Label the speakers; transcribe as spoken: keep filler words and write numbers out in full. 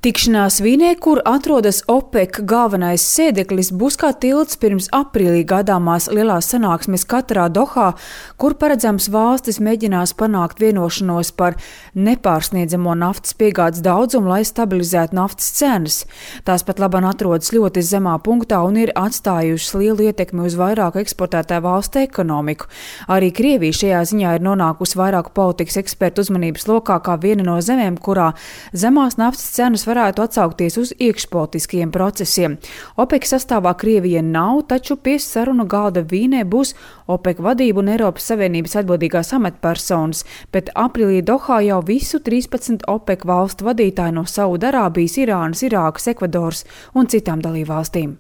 Speaker 1: Tikšanās Vīnē, kur atrodas OPEC galvenais sēdeklis, būs kā tilts pirms aprīlī gaidāmās lielās sanāksmes Katarā Dohā, kur paredzams valstis mēģinās panākt vienošanos par nepārsniedzamo naftas piegādes daudzumu, lai stabilizētu naftas cenas. Tās pat labāk atrodas ļoti zemā punktā un ir atstājušas lielu ietekmi uz vairāku eksportētāju valstu ekonomiku. Arī Krievija šajā ziņā ir nonākusi vairāku politikas ekspertu uzmanības lokā kā viena no zemēm, kurā zemās naftas cenas varētu atsaukties uz iekšpolitiskiem procesiem. OPEC sastāvā Krievija nav, taču pie sarunu galda Vīnē būs OPEC vadība un Eiropas Savienības atbildīgās amatpersonas, bet aprīlī Dohā jau visu trīspadsmit OPEC valstu vadītāji no Saudarābijas, Irānas, Irākas, Ekvadoras un citām dalībvalstīm.